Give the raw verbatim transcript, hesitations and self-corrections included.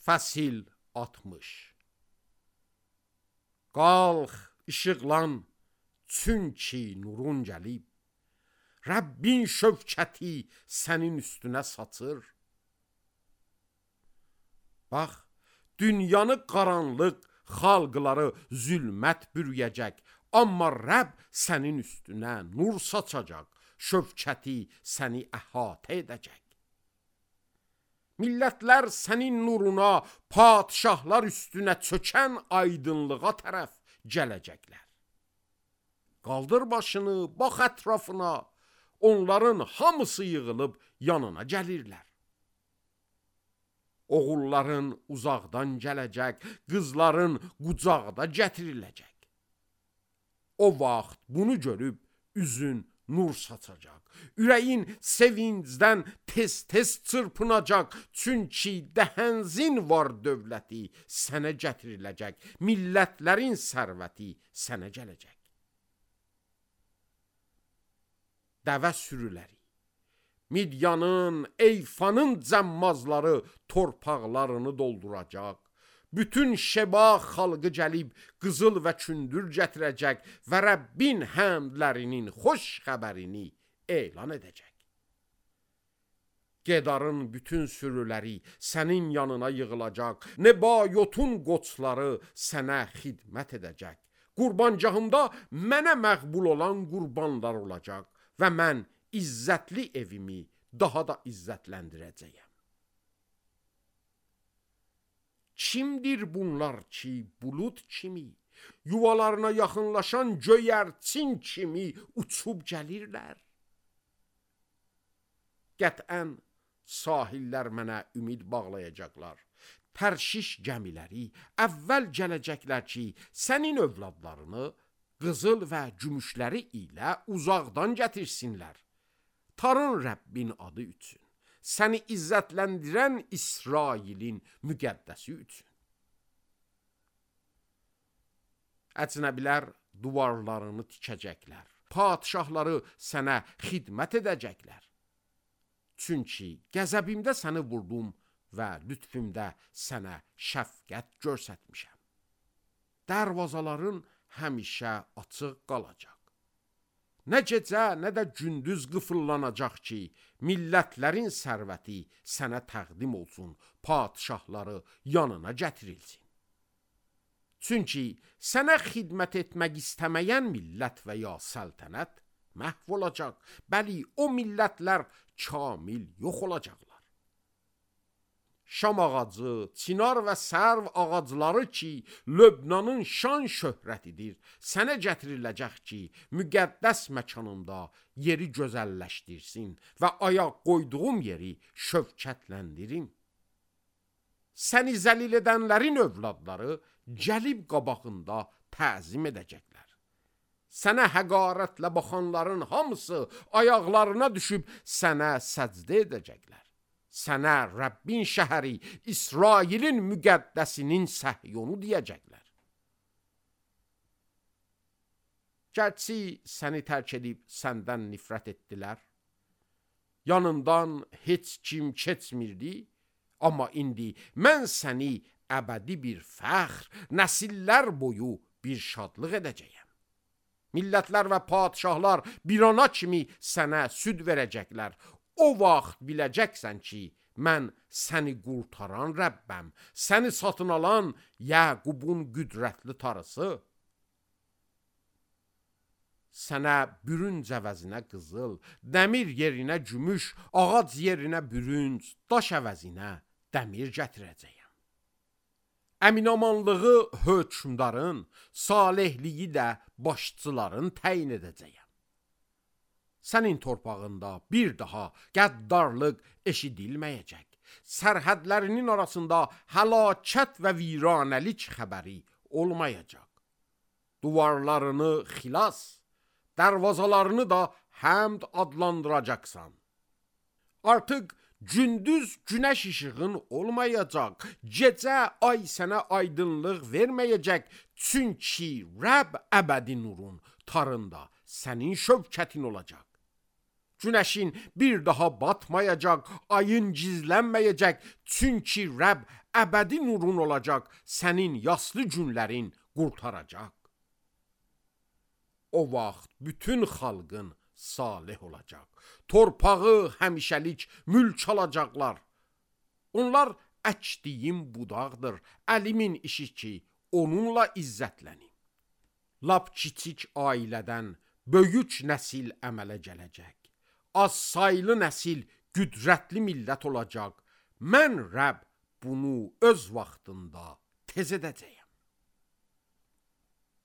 Fəsil altmış. Qalx, işıqlan, çünki nurun gəlib. Rəbbin şövkəti sənin üstünə saçır. Bax, dünyanı qaranlıq, xalqları zülmət bürüyəcək. Amma Rəbb sənin üstünə nur saçacaq, şövkəti səni əhatə edəcək. Millətlər sənin nuruna, padişahlar üstünə çökən aydınlığa tərəf gələcəklər. Qaldır başını, bax ətrafına, onların hamısı yığılıb yanına gəlirlər. Oğulların uzaqdan gələcək, qızların qucaqda gətiriləcək. O vaxt bunu görüb üzün nur saçacaq. Ürəyin sevincdən tez-tez çırpınacaq. Çünki dəhənzin var dövləti sənə gətiriləcək. Millətlərin sərvəti sənə gələcək. Dəvə sürüləri, Midyanın, Eyfanın cəmmazları torpaqlarını dolduracaq. Bütün Şeba xalqı gəlib qızıl və kündür gətirəcək və Rəbbin həmdlərinin xoş xəbərini elan edəcək. Gedarın bütün sürüləri sənin yanına yığılacaq. Nebayotun qoçları sənə xidmət edəcək. Qurbancağımda mənə məqbul olan qurbanlar olacaq və mən izzətli evimi daha da izzətləndirəcəyəm. Kimdir bunlar ki, bulut kimi, yuvalarına yaxınlaşan göyərçin kimi uçub gəlirlər? Qətən sahillər mənə ümid bağlayacaqlar. Tərşiş gəmiləri əvvəl gələcəklər ki, sənin övladlarını qızıl və gümüşləri ilə uzaqdan gətirsinlər. Tarın Rəbbin adı üçün, səni izzətləndirən İsrailin müqəddəsi üçün. Əcnəbilər duvarlarını tikəcəklər, padişahları sənə xidmət edəcəklər. Çünki qəzəbimdə səni vurdum və lütfümdə sənə şəfqət göstərmişəm. Dərvazaların həmişə açıq qalacaq. Nə gecə, nə də gündüz qıfıllanacaq ki, millətlərin sərvəti sənə təqdim olsun, padişahları yanına gətirilsin. Çünki sənə xidmət etmək istəməyən millət və ya səltənət məhv olacaq. Bəli, o millətlər kamil yox olacaqlar. Şam ağacı, çinar və sərv ağacları ki, Löbnanın şan şöhrətidir, sənə gətiriləcək ki, müqəddəs məkanında yeri gözəlləşdirsin və ayaq qoyduğum yeri şövkətləndirin. Səni zəlil edənlərin övladları gəlib qabağında təzim edəcəklər. Sənə həqarətlə baxanların hamısı ayaqlarına düşüb sənə səcdə edəcəklər. Sənə Rəbbin şəhəri, İsrailin müqəddəsinin Səhyonu deyəcəklər. Gərçi səni tərk edib səndən nifrət etdilər, yanından heç kim keçmirdi, amma indi mən səni əbədi bir fəxr, nəsillər boyu bir şadlıq edəcəyəm. Millətlər və padişahlar bir ana kimi sənə süd verəcəklər. O vaxt biləcəksən ki, mən səni qurtaran Rəbbəm, səni satın alan Yəqubun qüdrətli tarısı. Sənə bürünc əvəzinə qızıl, dəmir yerinə gümüş, ağac yerinə bürünc, daş əvəzinə dəmir gətirəcəyəm. Əminamanlığı hökmdarın, salihliyi də başçıların təyin edəcəyəm. Sənin torpağında bir daha qəddarlıq eşidilməyəcək. Sərhədlərinin arasında həlakət və viranəlik xəbəri olmayacaq. Duvarlarını xilas, dərvazalarını da həmd adlandıracaqsan. Artıq gündüz günəş işığın olmayacaq, gecə ay sənə aydınlıq verməyəcək. Çünki Rəbb əbədi nurun tarında sənin şövkətin olacaq. Günəşin bir daha batmayacaq, ayın gizlənməyəcək, çünki Rəbb əbədi nurun olacaq, sənin yaslı günlərin qurtaracaq. O vaxt bütün xalqın salih olacaq, torpağı həmişəlik mülk alacaqlar. Onlar əkdiyim budaqdır, əlimin işi ki, onunla izzətlənim. Lap kiçik ailədən böyük nəsil əmələ gələcək. Az saylı nəsil qüdrətli millət olacaq. Mən Rəbb bunu öz vaxtında tez edəcəyəm.